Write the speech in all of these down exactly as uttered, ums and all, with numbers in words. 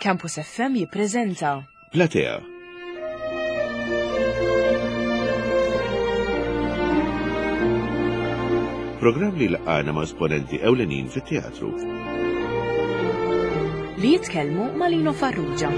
Campus F M jippreżenta Platea. Programm li laqana ma' esponenti ewlenin fit-teatru. Li jitkellmu ma' Lino Farrugia.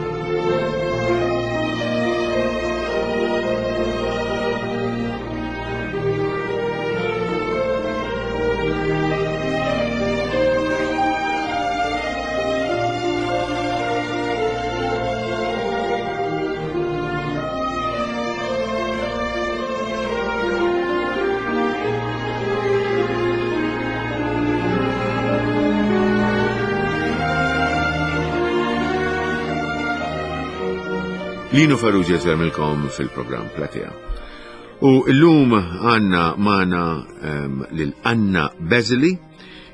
Lino Farrugia jsellmilkom fil-programm Platea. U illum għanna magħna um, lil Anna Bezili,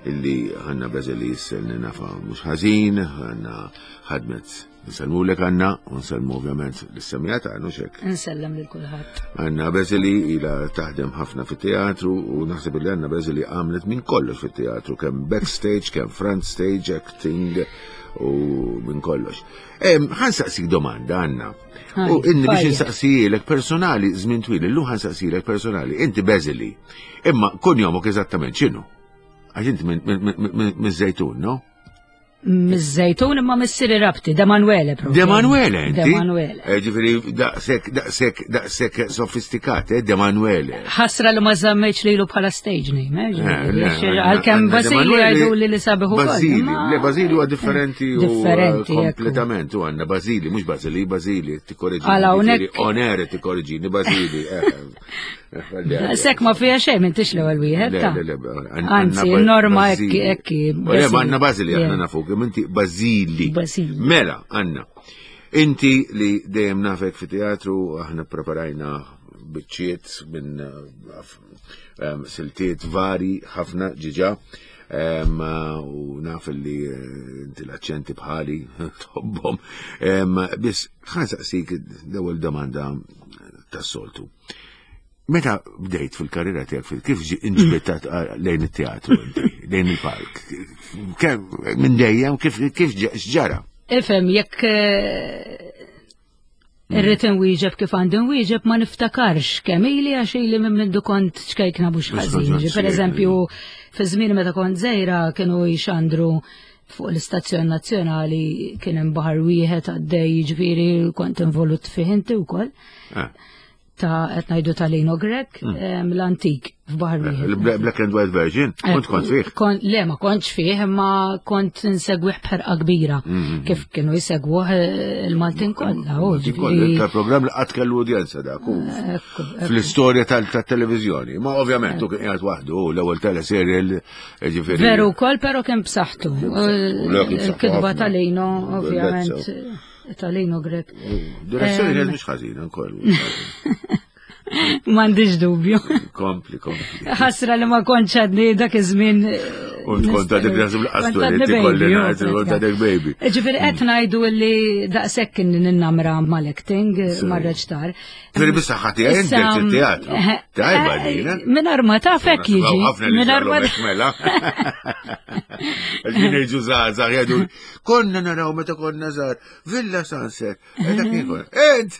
illi Anna Bezili s-selni nafa mux ħażin, Anna ħadmet. Nsellmulek, Anna, u nsellmu ovvjament l-semijata, għannu xek. Nsellem lil kulħadd. Anna Bezili ila taħdem ħafna fit-teatru u naħseb li Anna Bezili għamlet minn kollox fit-teatru, kemm backstage, kemm front stage, acting u minn kollox. Ħa nsaqsik domanda, Anna. U inni biex nsaqsijilek personali, żmien twil, illum ħa nsaqsijilek personali, inti Bezili. Imma kunjomok eżattament x'inhu? Għax inti minn Żejtun, no? Miż-Żejtun, imma missieri Rabti, De Manuele proprio. De Manuele, inti? De Manuele. Eh, Ġifieri, daqsek, daqsek, daqsek sofistikat, eh, De Manuele. Ħasra li ma żammejtx lilu bħala stage name, eh, Eh, ġifieri, le, għax għanna- għalkemm għanna De Basili Manuele- jgħidu li li sabiħ ukoll. Basili, imma- le, Basili huwa differenti u eh, Differenti, ekku. kompletament, u għanna Basili, mhux Basili, Basili, tikkorreġini. Għala, hawnhekk- Onere tikkorreġini, Basili. eh, eh, ħalli għalli. Sekk ma fija xejn, m'intix l-ewwel wieħed Le, ta' le, le, għanna Anzi, Ba- norma Basili. ekki ekki. Le, ma għanna Basili, aħna Yeah. nafuk, imma inti Basili. Basili. Mela, Anna, inti li dejjem nafek fi teatru, aħna preparajna biċċiet minn eh, em, siltiet vari ħafna ġiġa. Em, u naf li eh, inti l-aċċenti bħali tħobbhom. Em, Biss ħa nsaqsik l-ewwel domanda tas-soltu. Meta bdejt fil-karriera tiegħek fil kif ġi inġbitat lejn it-teatru inti, lejn il-palk? Kemm minn dejjem kif kif ġa- x'ġara? Ifhem, jekk eh, irrid inwieġeb kif għandi nwieġeb, ma niftakarx kemm ili, għax ili minn mindu kont ċkejkna mhux Mhux ħażin. ħażin, Per eżempju, fi żmien meta kont żgħira kienu jxandru fuq l-istazzjon nazzjonali, kien hemm Baħar Wieħed għaddej, jiġifieri kont involut fih inti wkoll. Ah, Ta' qed ngħidu ta' Lino Grech, em, l-antik f'Baħar Wieħed. Il-black and white version, kont kont fih. Kon, le, ma kontx fih, imma kont insegwih b'ħerqa kbira. Mm-hmm. Kif kienu jsegwuh eh, il-Maltin kollha. u ġifieri- Tal-programm li qatt kellu udjenza dak. u Ekku, ekku. fl-istorja tal-televizjoni. Ma ovvjament, tu kien qiegħed waħdu, l-ewwel teleserial, ġifieri. Veru wkoll, però kien b'saħħtu. b'saħħtu, le, kien b'saħħtu Il-kitba ħafna. ta' Lino, ovvjament, Bellezza. ta' Lino Grech. Direzzjoni kienet mhux ħażina wkoll. M'għandix dubju. Kompli, kompli. Ħasra li ma kontx għadni dak iż-żmien. U tkun ta' dik naħseb l-qastu li tikolli ngħid, kont ta' dik baby. Ġifieri qed ngħidu li daqshekk kien ninnamra mal-acting, mar-reċtar. Ġifieri bis-saħħa tiegħi inti Issa, bdejt it-teatru. eh, Tajba eh, din, eh? Mingħajr ma taf hekk jiġi. Ħafna li Mingħajr ma ġarru mela. Ġin jiġu żgħażagħ jgħidu, konna naraw meta konna żgħar, Villa Sunset. Eh, dak kien konna. Ent!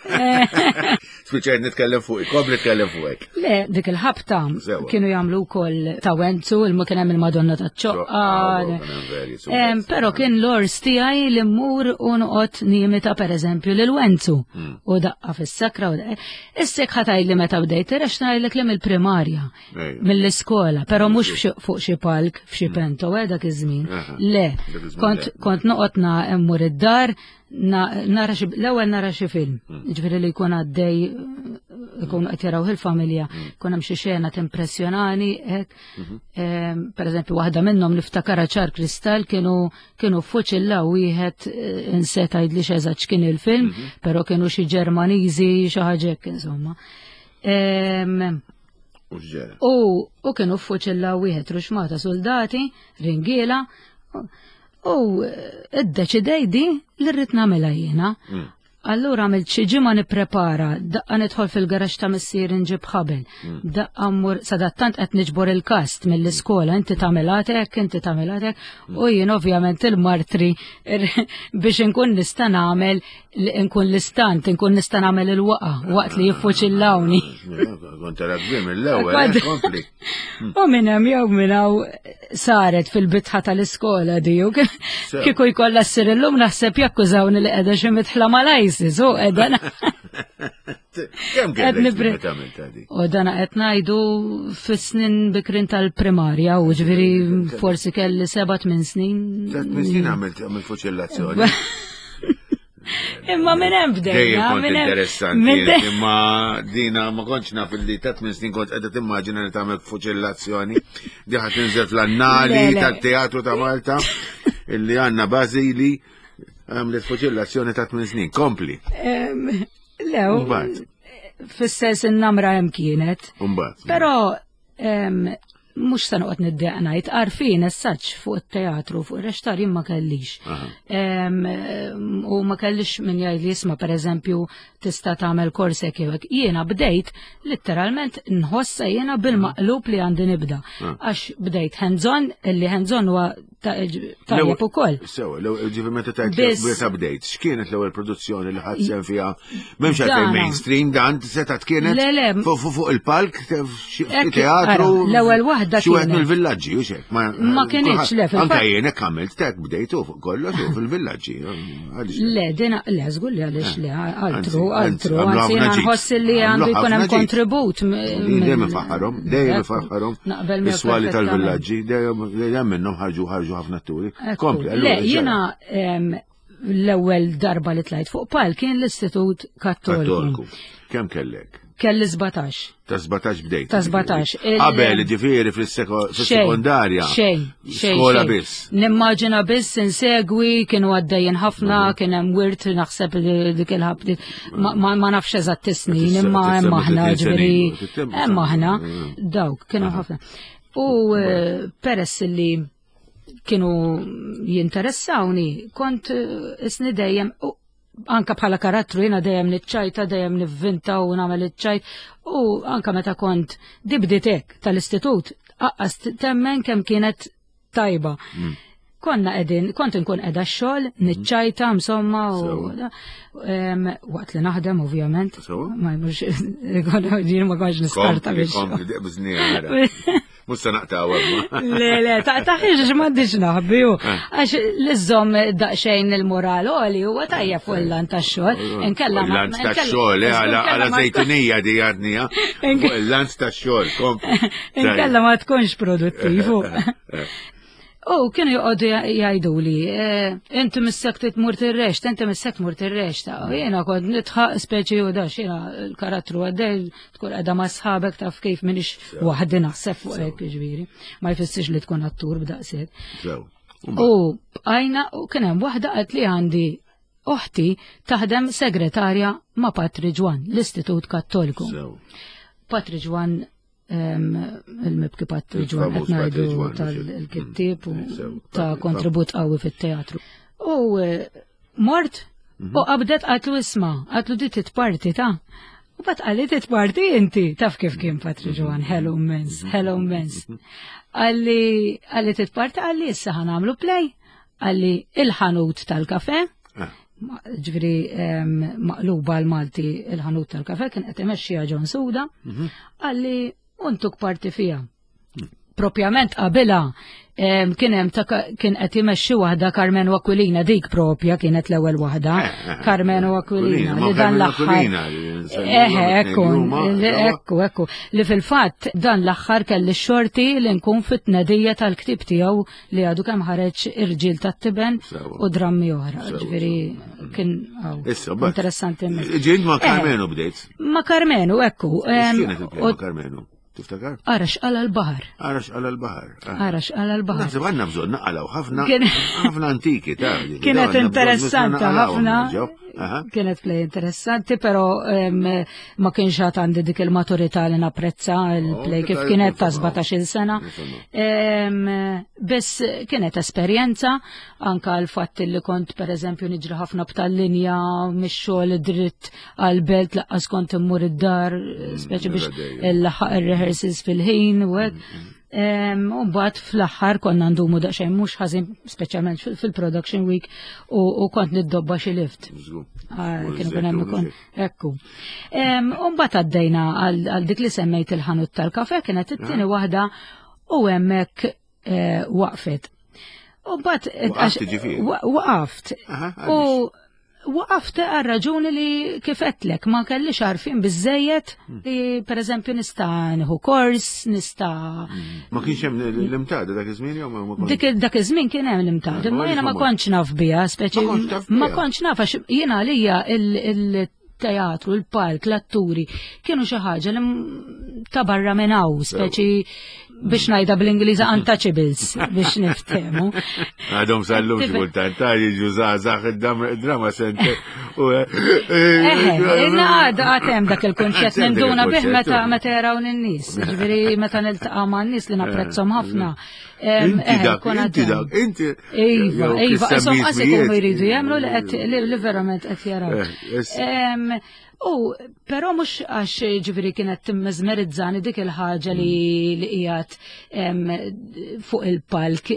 Spiċċajt nitkellem fuq, kompli nitkellem fuqek. Le, dik il-ħabta Sewa. kienu jagħmlu wkoll ta' Wenzu, il kien hemm il-Madonna ta' ċoqqa. Ċoqqa, kien hemm veri, Em, Però kien l-ors tiegħi li mmur u noqgħod nimita pereżempju lil Wenzu. Hmm. U daqqa fis-sakra u daqqa. Issek ħa tgħid li meta bdejt, għax ngħidlek li mill-primarja, Ejja. mill-iskola, però mhux f'xi- fuq xi palk, f'xi pento, eh, dak iż-żmien. Aha. Le, Dak iż-żmien kont le. kont noqgħod na mmur id-dar, na- nara xi l-ewwel nara xi film. Ġifieri li jkun għaddej, ikun qed jaraw il-familja, jkun hemm xi xena timpressjonani hekk. Em, Per eżempju, waħda minnhom niftakara ċar kristall, kienu kienu fuċilla wieħed, eh, inseta jgħidli x'eżatt x'kien il-film, però kienu xi Ġermaniżi, xi ħaġa hekk insomma. Em, U x'ġara? U, u kienu fuċilla wieħed ruxmata soldati, ringiela, u iddeċidejt di li rrid nagħmilha jiena. Allura għamilt xi ġimgħa nipprepara, daqqa nidħol fil-garaxx ta' missier nġib ħabel, Mm. daqqa mmur sadattant qed niġbor il-kast mill-iskola, inti tagħmel hekk, inti tagħmel hekk, u jien ovvjament il-martri biex inkun nista' nagħmel nkun l-istant, inkun nista' nagħmel il-waqa waqt li jiffuċillawni. Kont tara kbir mill-ewwel, eh, kompli. U minn hemm jew minn hawn saret fil-bitħa tal-iskola di u kieku jkollha ssir illum naħseb jakkużawni li qiegħda xi mitħla mal-ISIS u qiegħda Kemm kellek meta għamiltha di? U dana qed ngħidu fis-snin bikrin tal-primarja u ġifieri forsi kelli seba' tmien snin. Tmien snin għamilt għamilt fuċillazzjoni. Imma minn hemm bdejna. Dejjem kont minn hemm- interessanti, minn de- imma dina ma kontx naf li ta' tmien snin kont qiegħda timmaġina li tagħmel fuċillazzjoni. Di ħa tinżel fl-annali Le, le. tat-teatru ta' Malta illi għandna Bażili għamlet fuċillazzjoni ta' tmien snin. Kompli. Em, Le, u- Mbagħad. fis-sens in-namra hemm kienet. Mbagħad. Però em, mhux se noqgħod niddejjaq ngħid għarfien essaċ fuq it-teatru, fuq ir-reċtar jien ma kellix. Aha. Em, em, U ma kellix min jgħid li jisma' pereżempju tista' tagħmel kors hekk jew hekk. Jiena bdejt letteralment nħossa jiena bil-maqlub li għandi nibda. Għax bdejt hands-on, illi hands-on huwa ta- tajjeb ukoll. Sewa, ġifi meta tajt Biss- meta bdejt, x'kienet l-ewwel produzzjoni li ħadd sehem fiha? M'hemmx għalfejn Dana. mainstream dan setgħet kienet Le, le. fuq fuq fuq il-palk f'xi Ekk, teatru. ara, l-ewwel waħda Xi wieħed kienet. mill-villaġġi u xek. Ma kienitx, le, fil-fatt- Anka jien hekk għamilt tek bdejtu fuq kollox u fil-villaġġi. Għaliex le? Le, dina, le, żgur li għaliex le, altru, Anzi, anzi, altru, għamlu anzi, ħafna jiena ġid. nħoss li Għamlu għandu jkun hemm ħafna ġid. kontribut. m- Dejjem mill- ifaħħarhom, dejjem Ekku, ifaħħarhom. Naqbel miegħek Is-swali perfettament. tal-villaġġi, dejjem dejjem minnhom ħarġu ħarġu ħafna atturi. Ekku. Kompli, Le, allura, jiena em, l-ewwel darba li tlajt fuq pal kien l-Istitut Kattoliku. Kattoliku. Kemm kellek? Kelli sbatax. Ta' sbatax bdejt. Ta' sbatax. Il- Qabel, ġifieri fis-sekondarja. Xejn, xejn. Skola xejn. biss. Nimmaġina biss insegwi, kienu għaddejjin ħafna, Mhm. kien hemm wirt naħseb li dik il-ħabti. Ma, ma, ma nafx eżatt is-snin, Tista' imma hemm tissemmi aħna tletin ġifieri. snin, Hemm aħna Mm. dawk kienu ħafna. U eh, peress li kienu jinteressawni, kont eh, isni dejjem u anka bħala karattru jiena dejjem niċċajta, dejjem nivvinta u nagħmel iċ-ċajt u anka meta kont dibditek tal-istitut, aqqas temmen kemm kienet tajba. Konna qegħdin, kont inkun qiegħda x-xogħol, niċċajta insomma u em, waqt li naħdem ovvjament. Sewa. Ma mhux jien ma kontx niskarta Kompli, biex. kompli, deqbizni għara. Mhux se naqtaw għabma. Le, le, ta' taħħiġ m'għandix naħbi u. Għax l-iżżomm daqsxejn il-moral għoli huwa tajjeb fuq il-lant tax-xogħol. Inkella ma- Il-lant inkella- tax-xogħol, eh, għala inkella għala ma- zejtunija di għadni, Inke- Fuq il-lant tax-xogħol, kompli. Inkella ma tkunx produttiv. u. U kienu joqogħdu jgħidu li, eh, inti missek tmur tir-reċta, inti missek tmur tir-reċta. U jiena kont nitħaq speċi u dax, jiena l-karattru għaddej, tkun qiegħda ma' sħabek taf kif minix waħdi naħseb fuq hekk ġifieri. Ma jfissirx li tkun attur b'daqshekk. Sew. U bqajna u kien hemm waħda qalt li għandi oħti taħdem segretarja ma' Patri Ġwan, l-Istitut Kattoliku. Sew. Patri Ġwan em, il-mibki Patri Ġwan Il-famuż qed Patri ngħidu Ġwan, tal-kittieb u Mm, sew, ta' Patri- kontribut qawwi fit-teatru. U eh, mort u qabdet qatlu isma, qatlu di titparti ta' U bat qalli titparti inti, taf kif kien Patri Ġwan, hello immens, hello immens. Qalli, qalli titparti, qalli issa ħa nagħmlu play, qalli il-ħanut tal-kafe, Ah, Ma- ġifieri em, maqluba l-Malti il-ħanut tal-kafe kien qed imexxiha John Suda, qalli untuk parti fija. Propjament qabilha em, kien hemm ta' kien qed imexxi waħda Carmenu Aquilina, dik propja kienet l-ewwel waħda, Eh, eh, Carmenu Aquilina, ma li dan Carmenu l-aħħar. Aquilina, li nsemmuhom Eħe, it-tnejn ekku, li huma, li- sewwa. ekku, ekku, li fil-fatt dan l-aħħar kelli xorti li nkun fit-tnedija tal-ktib tiegħu li għadu kemm ħareġ Irġiel tat-Tiben Sewwa. u drammi oħra. Sewwa, Ġifieri kien aw, Issa, bat. interessanti immens. Ġint ma' Eh, Carmenu bdejt. Ma' Carmenu, ekku. em, X'kienet il-play u ma' Carmenu? Tiftakar? Arax għala l-baħar. Arax għala l-baħar. Ah. Arax għala l-baħar. Naħseb għandna bżonn naqalaw ħafna Kien- ħafna antiki ta' Kienet interessanti ħafna. Aha. Kienet play interessanti, pero em, ma kienx għad għandi dik il-maturità li napprezza il-play Oh, kif tajjeb, kienet ta' nifhimha. sbatax-il sena. Nifhimha. Em, Biss kienet esperjenza, anka l-fatt li kont per eżempju niġri ħafna b'tal-linja mix-xogħol dritt għal-belt lanqas kont immur id-dar, speċi biex dejjem. il-laħaq il-rehearsals fil-ħin u hekk. Em, U mbagħad fl-aħħar konna ndumu daqsxejn mhux ħażin speċjalment fil- fil-production week u u kont niddobba xi lift. Żgur. Ah, U Kienu żejt kien hemm u ikun żejt. ekku. Em, U mbagħad għaddejna għal għal dik li semmejt il-ħanut tal-kafe kienet it-tieni waħda u hemmhekk eh, waqfet. U mbagħad Waqaft ġifieri? wa- Waqaft. Aha, U waqaft għal raġuni li kif għedtlek ma kellix għarfien biżejjed li per eżempju nista' nieħu kors, nista' Ma kienx hemm l-IMTADA dak iż-żmien jew ma ma kontx? Dik dak iż-żmien kien hemm l-IMTADA, Ah, imma jiena ma ma kontx naf biha, speċi Ma kontx taf biha. ma kontx naf għax jiena għalija il-teatru, il-palk, l-atturi kienu xi ħaġa li m- ta' barra minn hawn, speċi biex ngħidha bl-Ingliża untouchables biex niftehmu. Għadhom sal-lum xi kultant ta' jiġu żgħażagħ id-drama center. u, eh, Eħe, inna għad għad hemm dak il-kunċett Għad hemm dak ninduna bih il-kunċett, meta u. meta jaraw n-nies. Ġifieri meta niltaqa' ma' n-nies li napprezzhom ħafna. Em, Inti eħe, dak, kun inti għad hemm. dak, inti. Iva, jew iva, kif insomma, semmi qas ikunu ismijiet. jridu jemmnu li qed li li verament qed jaraw. Eh, es- Em, U però mhux għax ġifieri kienet timmezmerizzani dik il-ħaġa li li qiegħed em, fuq il-palk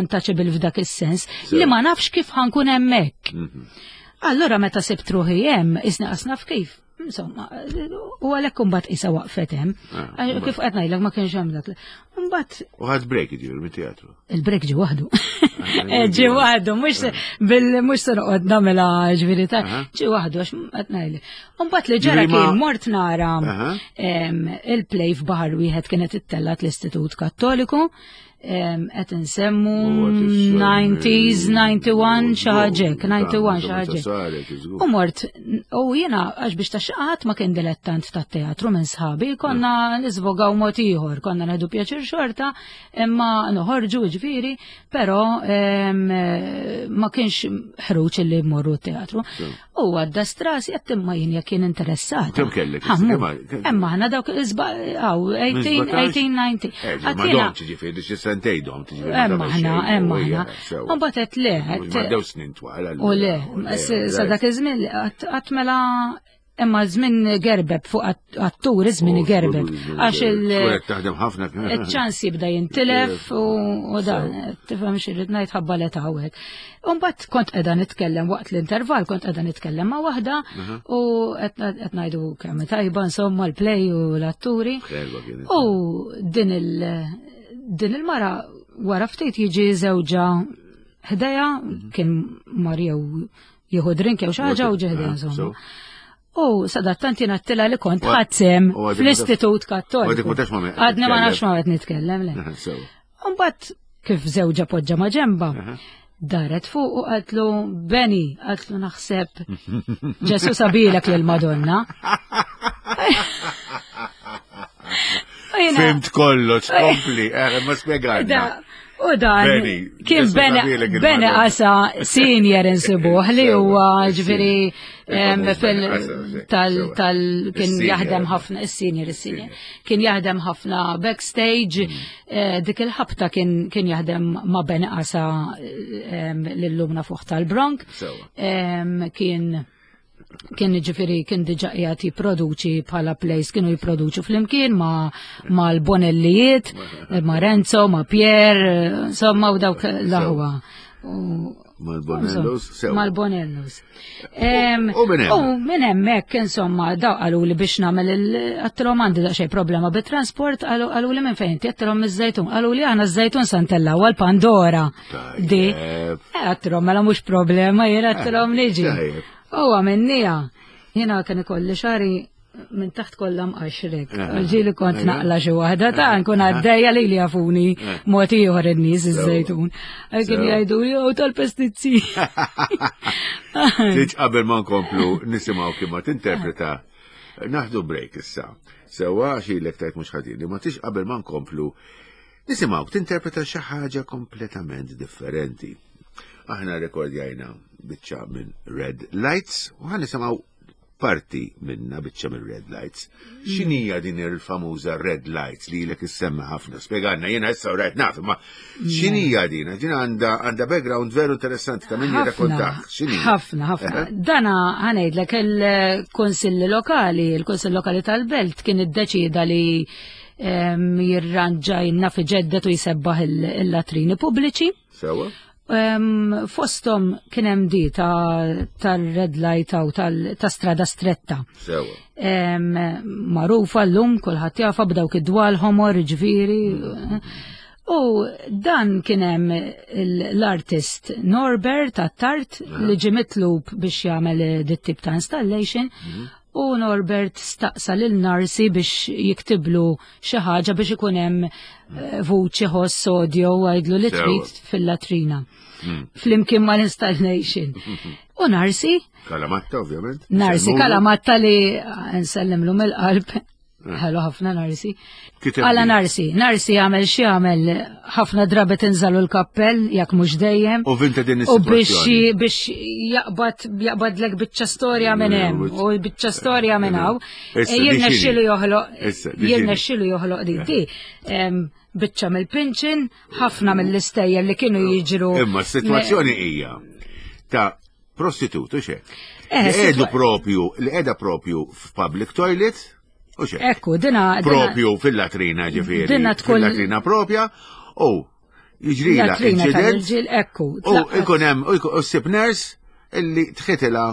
untouchable f'dak is-sens, li ma nafx kif ħa nkun hemmhekk. Mhm. Allora meta sibt ruħi hemm, isni qas naf kif. Insomma, u għalhekk imbagħad isa waqfet hemm. Ah, Għax Kif qed ngħidlek ma kienx hemm dak. Imbagħad U ħadt break ġifieri mit-teatru. il-break ġi waħdu. Ah, Ġi waħdu, mhux bil mhux se noqgħod nagħmilha ġifieri ta' Aha. ġi waħdu għax qed ngħidlek. Imbagħad li ġara Ġifieri ma- kien mort nara Aha. em, il-play f'Baħar Wieħed kienet ittellgħet l-Istitut Kattoliku em, qed insemmu U għat issemmi- nineties, ninety-one xi ħaġa hekk, ninety-one xi Meta ħaġa hekk. saret, żgur. U mort, u jiena, għax biex ta' xaqat ma kien dilettant ta' teatru minn sħabi, konna nisvogaw mod ieħor, konna nieħdu pjaċir xorta, imma noħorġu ġifieri, però em, ma kienx ħruġ li mmorru teatru. U għadda strasi għedt imma jien jekk kien interessata. Kemm kellek? Ħammu. Kemm- Imma aħna dawk isba' għaw, eighteen, eighteen, nineteen. Eh, ma Għattina- domx ġifieri, xi sentejn dom, ġifieri. ma Emma tagħmel aħna, xejn, emma u hija, aħna. sewa. U mbagħad le, Mhux ma dew snin twal. U le, sa dak iż-żmien qatt mela imma żmien gerbeb fuq attur iż-żmien gerbeb. Għax il- taħdem ħafna. il-ċans jibda jintilef u u dan, tifhem x'irrid ngħid ħabba l hawnhekk. U mbagħad kont qiegħda nitkellem waqt l-intervall, kont qiegħda nitkellem ma' waħda u qed qed ngħidu kemm tajba insomma l-play u l-atturi. Ħelwa kienet. U din il- din il-mara wara ftit jiġi żewġa ħdejha kien mar jew jieħu drink jew xi ħaġa u ġie ħdejha Ah, insomma. so. U sadattant jiena għedtilha li kont U- ħadsem u għadek fl-Istitut u Kattoliku. għadek ma tafx ma' min qed Għadni ma titkellem. nafx ma' qed nitkellem, le. Aha, sewa. Mbagħad kif żewġa poġġa ma' ġemba, Aha. daret fuq u qaltlu Beni, qaltlu naħseb Ġesu sabilek lil Madonna. U jiena- Fhimt kollox, kompli, eh, ma spjegajna. Da, u dan Beni, kien Ġesu Beni sabilek Beni il-Madonna. Qasa senior insibuh li huwa Sewa, ġifieri em, Il-famuż fil Beni Qasa, sì, tal sewa. tal kien Is-senior. jaħdem ħafna is-senior is-senior kien jaħdem ħafna backstage Mm. eh, dik il-ħabta kien kien jaħdem ma' Beni Qasa em, lil-lumna fuq tal-Bronk Sewa. Em, kien kien ġifieri kien diġa qiegħed jipproduċi bħala plays kienu jipproduċu flimkien ma' ma' l-Bonellijiet, ma' Renzo, ma' Pier, insomma u dawk l-aħwa. U- Mal-Bonellos, sewa. Mal-Bonellos. Em, U minn hemm? U minn hemmhekk insomma daw qalu li biex nagħmel il għedtilhom għandi daqsxejn problema bit-transport qalu qalu li minn fejn inti għedtilhom miż-Żejtun. Qalu li aħna ż-Żejtun sa ntellgħu għal-Pandora. Di. Tajjeb. Eh, Għedtilhom mela mhux problema jien għedtilhom niġi. Tajjeb. U għamennija. Jiena kien ikolli xagħri minn taħt kollha mqaxrek. Eh, Ġieli kont eh, naqla xi waħda ta' nkun għaddejja li li jafuni mod ieħor in-nies iż-Żejtun. Kien Sewa. jgħidu jew tal-pestizzi. Tiġ qabel ma nkomplu nisimgħu kif ma tinterpreta. Naħdu break issa. Sewa xilek tajt mhux ħadini, ma tix qabel ma nkomplu nisimgħu tinterpreta xi ħaġa kompletament differenti. Aħna rekordjajna biċċa minn Red Lights u ħa nisimgħu parti minna biċċa minn Red Lights. X'inhija din il-famuża Red Lights li ilek issemmi ħafna? Spjegalna, jiena issa rajt naf, ma x'inhija din? Din għandha għandha background veru interessanti ta' min jirrakkontak. X'inhija? Ħafna, ħafna. Dana ħa ngħidlek il-Kunsilli Lokali, il-Kunsill Lokali tal-Belt kien iddeċida li em, jirranġa jinnaf iġeddet u jsebbaħ il-latrini pubbliċi. Sewa? Em, Fostom kien hemm di ta' tal-red light u ta' strada stretta. Sewa. Em, Magħrufa llum kulħadd jafha b'dawk id-dwal ħomor, ġifieri. U dan kien hemm l-artist Norbert Attard li ġie mitlub biex jagħmel dit tip ta' installation. U Norbert staqsa lil Narsi biex jiktiblu xi ħaġa biex ikun hemm eh, vuċi ħoss audio għajdlu li Sewa. trid fil-latrina. Flimkien mal-installation. U Narsi Kalamatta, ovvjament. Narsi Semmulu. Kalamatta li nsellimlu mill-qalb. Ħelu ħafna Narsi. Kiteb Għala li. Narsi, Narsi għamel xi għamel ħafna drabi tinżalu l-kappell, jekk mhux dejjem. U vinta din U biex is-sitwazzjoni. biex jaqbad jaqbadlek biċċa storja minn hemm u biċċa storja minn hawn. Issa, E di Jirnexxielu x'inhi? joħloq Issa, di x'inhi? jirnexxielu joħloq di di. Em, Biċċa mill-pinċin, ħafna mill-istejjer li kienu jiġru. Imma s-sitwazzjoni hija ta' prostitut, u xek. Eh, Li qegħdu sitwa- propju, li qiegħda propju f'public toilet, u xek. Ekku, dina. dina- Propju fil-latrina ġifieri. Dina tkun- Fil-latrina propja, u jiġrila Latrina incident, tal-irġiel, ekku. u tlaqat. ikun hemm, u jkun- u ssib nurse illi tħitila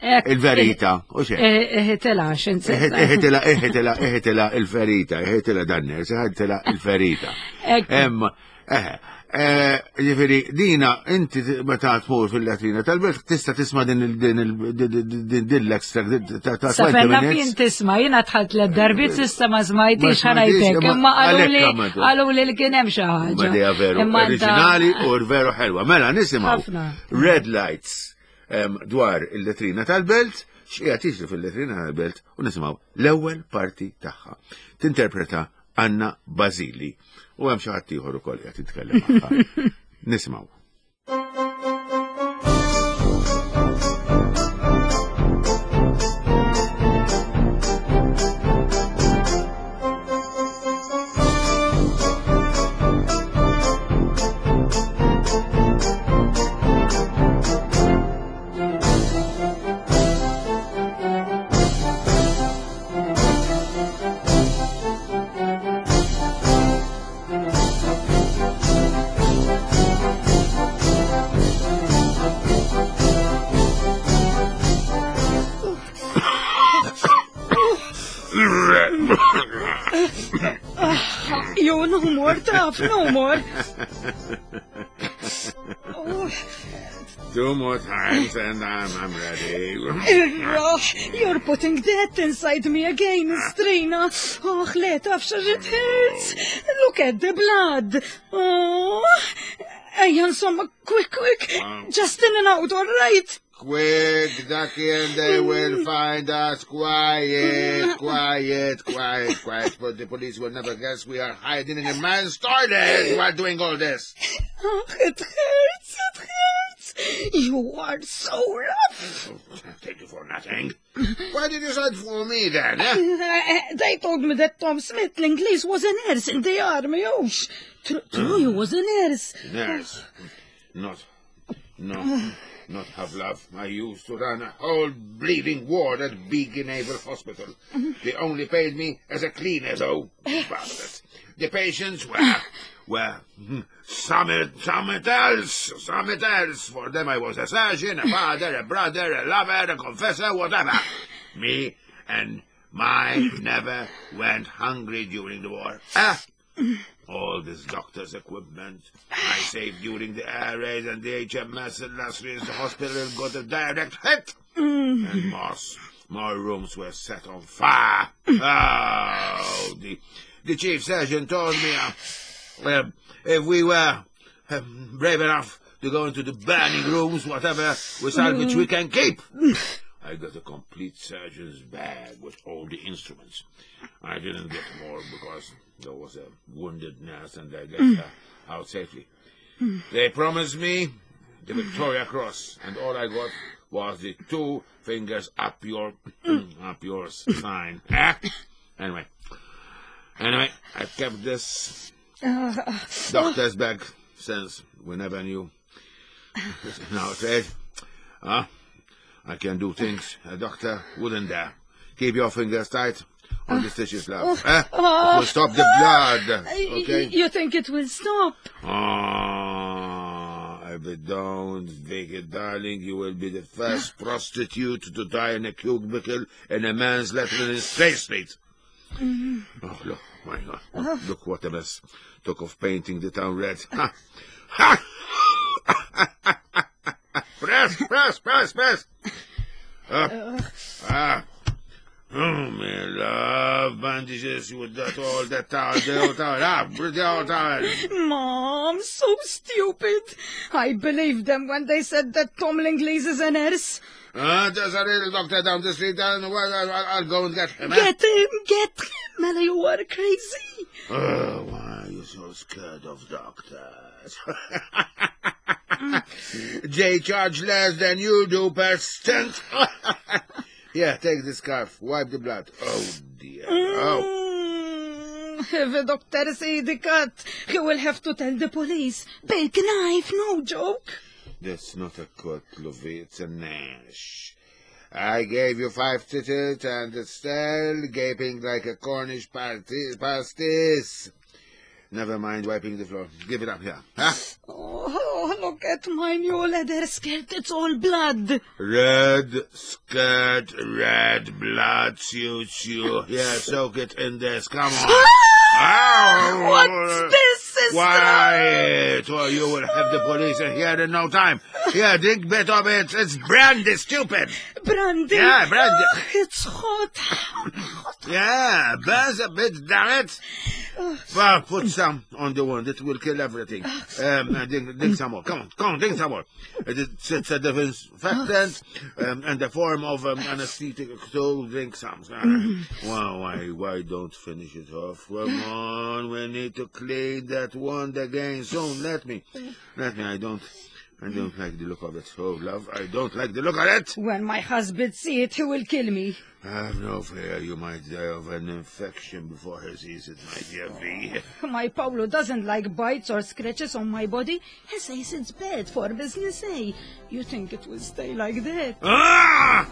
Ekku. il-verita, u xek. Iħitela, Iħitila, iħitila, iħitila il-ferita, iħitila dan nurse, iħitila il-ferita. Ekku. Em, eh, eh, ġifieri, dina, inti meta tmur fil-latrina tal-belt, tista tisma din il- din il- din- din din l-extract ta' ta' Sa twenty fejn naf minutes. jien tisma, jiena dħalt l darbiet s'issa ma Ma smajtix smajtix, ħa ngħidlek, imma imma qalu li għalhekk għamiltu. qalu li li kien hemm xi ħaġa. Ma dija veru, Imma anta- oriġinali u veru ħelwa. Mela, nisimgħu Ħafna. Red Lights em, dwar il-letrina tal-belt, x'qiegħed jiġri fil-letrina tal-belt u nisimgħu l-ewwel parti tagħha. Tinterpreta Anna Basili. U hemm xi ħadd ieħor ukoll qed jitkellem magħha. Nisimgħu. You no more, taf, no more. Oh, Two more times and I'm, I'm ready. Irraħ, you're putting that inside me again, Strina. Oh, le, taf, it hurts. Look at the blood. Oh, ejja, insomma, quick, quick. Just in and out, all right. Quick, ducky, and they will find us. Quiet, quiet, quiet, quiet. But the police will never guess we are hiding in a man's toilet while doing all this. Oh, it hurts, it hurts. You are so rough. Thank you for nothing. Why did you send for me then, eh? Uh, They told me that Tom Smith, l-Ingliż, was a nurse in the army. Oh, sh- true, true, he was a nurse. Nurse. Not, no, not have love. I used to run a whole bleeding ward at Beacon Naval Hospital. They only paid me as a cleaner, though. Bastards. The patients were, were hmm, some, some else, some else. For them I was a surgeon, a father, a brother, a lover, a confessor, whatever. Me and mine never went hungry during the war. Ah! All this doctor's equipment I saved during the air raid and the H M S Illustrious, the hospital got a direct hit. And more, more rooms were set on fire. Oh, the, the chief surgeon told me uh, um, if we were um, brave enough to go into the burning rooms, whatever we salvage we can keep. I got a complete surgeon's bag with all the instruments. I didn't get more because there was a wounded nurse and I got her out safely. They promised me the Victoria Cross, and all I got was the two fingers up your up your sign. Eh? Anyway, anyway, I've kept this doctor's bag since we never knew. Now, Ted, huh? I can do things a doctor wouldn't dare. Keep your fingers tight on the stitches, love. Eh? It will stop the blood. Okay? You think it will stop? Ah, if it don't, Vicky, darling, you will be the first prostitute to die in a cubicle in a man's letter in Straight Street. Oh, look, my God. Look what a mess. Talk of painting the town red. Ha! Ha! Press, press, press, press. Up. Ah. Oh, me love bandages with that all that towel, the old towel, ah, the old towel. Mom, so stupid. I believed them when they said that Tom Lingleys is a nurse. Ah, there's a real doctor down the street, and well, I'll, I'll go and get him. Eh? Get him, get him. Mela, you are crazy. Oh, why are you so scared of doctors? They charge less than you do per cent. Here, take the scarf. Wipe the blood. Oh, dear. Oh. Mm, if the doctor see the cut, he will have to tell the police. Big knife, no joke. That's not a cut, Lovey. It's a gnash. I gave you five stitches and it's still gaping like a Cornish party- pasties. Never mind wiping the floor. Give it up here. Huh? Oh, look at my new leather skirt. It's all blood. Red skirt, red blood suits you. Here, soak it in this. Come on. Ow! What's this, sister? Quiet, or you will have the police in here in no time. Here, drink bit of it. It's brandy, stupid. Brandy. Yeah, brandy. Oh, it's hot. Hot. Yeah, burns a bit, damn it. Well, put some on the wound. It will kill everything. Um, uh, drink, drink some more. Come on, come on, drink some more. It's, it's a disinfectant um, and a form of um, anesthetic, so drink some. Well, why, why don't finish it off? Come on, we need to clean that wound again soon. Let me, let me, I don't, I don't like the look of it. Oh, love, I don't like the look of it. When my husband see it, he will kill me. Have no fear, you might die of an infection before he sees it, my dear V. My Paolo doesn't like bites or scratches on my body. He says it's bad for business, eh? You think it will stay like that? Ah!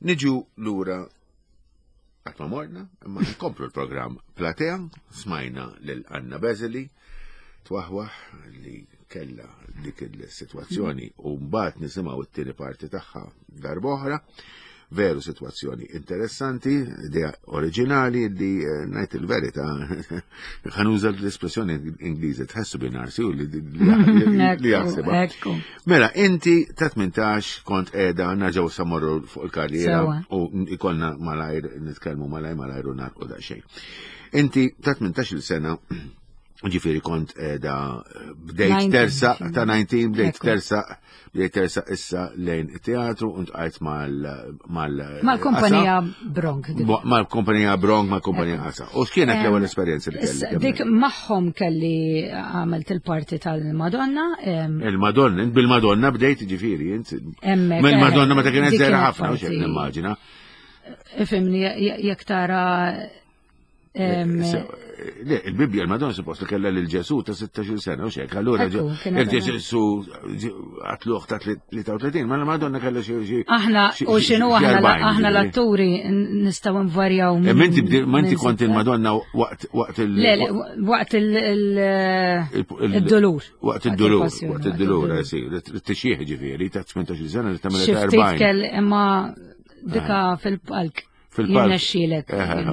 Niġu lura għatma morna, imma nkomplu l-programm Platea, smajna lil Anna Bezeli, twaħwaħ li kella dik il-sitwazzjoni u mbagħad nisimgħu t-tieni parti tagħha darb'oħra. Veru sitwazzjoni interessanti, idea oriġinali li eh, ngħid il-verità ħanuża l-espressjoni Ingliżi tħessu binarsi u li li jaħsibha. Ekku. Mela, inti ta' tmintax kont qiegħda nerġgħu samorru fuq il-karriera Sewa. u ikollna malajr nitkellmu malajr malajr u narqu daqsxejn. Inti ta' tmintax-il sena ġifieri kont qiegħda bdejt Nineteen, tersa ta' nineteen bdejt Ekku. tersa bdejt tersa issa lejn it-teatru u ntqajt mal mal Mal-kumpanija Bronk. dik. Bo- Mal-kumpanija Bronk, mal-kumpanija Asa. U x'kienet l-ewwel Em, esperjenza li issa, kellek? Dik magħhom kelli għamilt il-parti tal-Madonna. em, Il-Madonna, int bil-Madonna bdejt ġifieri, int. Hemmhekk, Mill-Madonna eh, meta kienet dik żgħira kienet ħafna, u xejn parti. nimmaġina. Ifimni, jekk tara Le, il-Bibbja l-Madonna suppost li kellha lil Ġesù ta' sittax-il sena u xek, allura il-Ġesù għatluħ ta' tlieta u tletin, ma l-Madonna kellha xi. Aħna u x'inhu aħna l-atturi nistgħu nvarjaw. Ma inti kont il-Madonna waqt waqt il- Le, waqt il-dolur. Waqt il-dolur, waqt il-dolur, t-tixjieħ ġifieri ta' tmintax-il sena li tagħmel erbgħin. Xi ftit imma dika fil-palk. Fil-palk.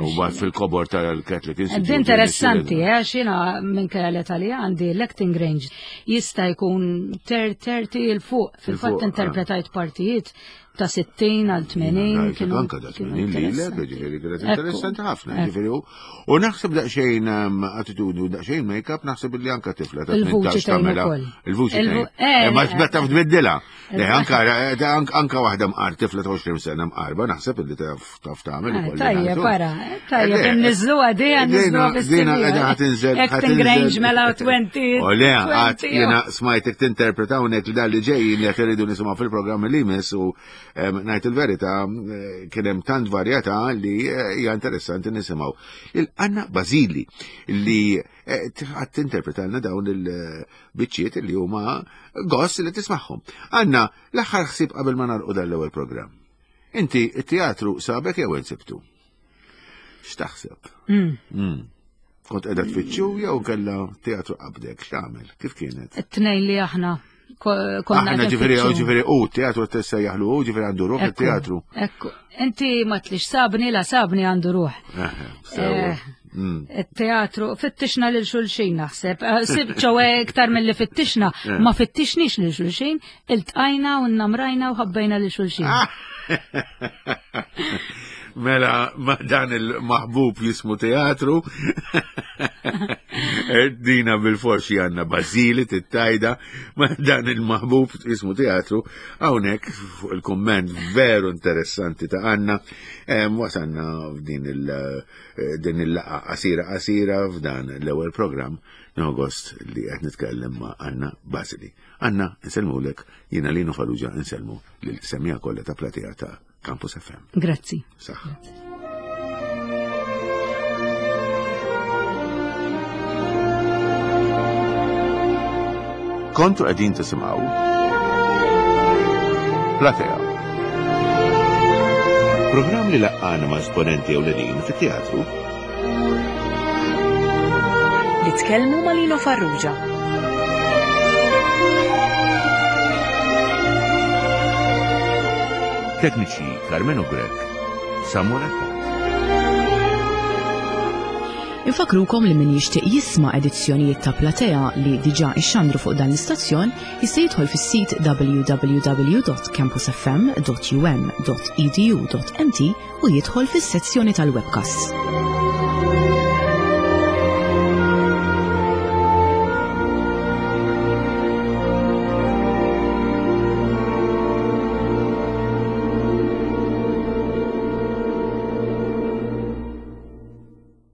U bat fil-kobor tal-Catholic Institute. Interessanti, għax jiena minn kellha li għandi l-acting range jista' jkun thirty 'il fuq. Fil-fatt interpretajt partijiet ta' sittin għal tmenin. Anka ta' tmenin li ġifieri kienet interessanti ħafna. Ġifieri u naħseb daqsxejn attitudni u daqsxejn make-up naħseb li anka tifla ta' tmintax tagħmilha. Il-vuċi. Ma taf tbiddilha. Anka waħda mqar tifla ta' għoxrin sena mqarba naħseb li taf tagħmel ukoll. Tajjeb, para, tajjeb, inniżluha dejja nniżluha fis-sinjor. Dina qiegħda ħa tinżel. Acting range mela twenty. U le, għad jiena smajtek tinterpreta hawnhekk li dan li ġejjin li qed iridu nisimgħu fil-programm li jmiss u ngħid il-verità kien hemm tant varjetà li hija interessanti nisimgħu. Il-Anna Basili li għad tinterpretalna dawn il-biċċiet li huma gost li tismagħhom. Anna, l-aħħar ħsieb qabel ma nagħlqu dan l-ewwel programm. Inti it-teatru sabek jew insibtu? X'taħseb? Kont qiegħda tfittxu jew kellha teatru qabdek, x'tagħmel? Kif kienet? It-tnejn li aħna konna Aħna ġifieri, ġifieri, u teatru tissejjaħlu, u ġifieri għandu ruħ it-teatru. Ekku, inti ma tlix sabni, la sabni għandu ruħ. Il-teatru, fittixna lil xulxin naħseb, ċowe iktar mill-li fittixna, ma fittixnix lil xulxin, iltqajna u nnamrajna u ħabbejna lil xulxin. Mela, ma dan il-maħbub jismu teatru, dina bil-forsi għanna Basili tittajda, ma dan il-maħbub jismu teatru, hawnhekk fuq il-komment veru interessanti ta' Anna, wasanna f'din il-laqa qasira qasira f'dan l-ewwel programm gost li qed nitkellem ma' Anna Basili. Anna, insellmulek, jiena Lino Farrugia insellmu lil semija kollha ta' platea ta' Campus F M. Grazzi. Saħ. Kontu qegħdin tisimgħu Platea. Programm li laqqana ma' esponenti ewlenin fit-teatru. Li tkellmu ma' Lino Farrugia. Tekniċi Carmelo Grech, Samuel Attard. Infakrukom li min jixtieq jisma' edizzjonijiet ta' Platea li diġà ixxandru fuq dan l-istazzjon jista' jidħol fis-sit w w w dot campus f m dot u m dot e d u dot m t u jidħol fis-sezzjoni tal-webcasts.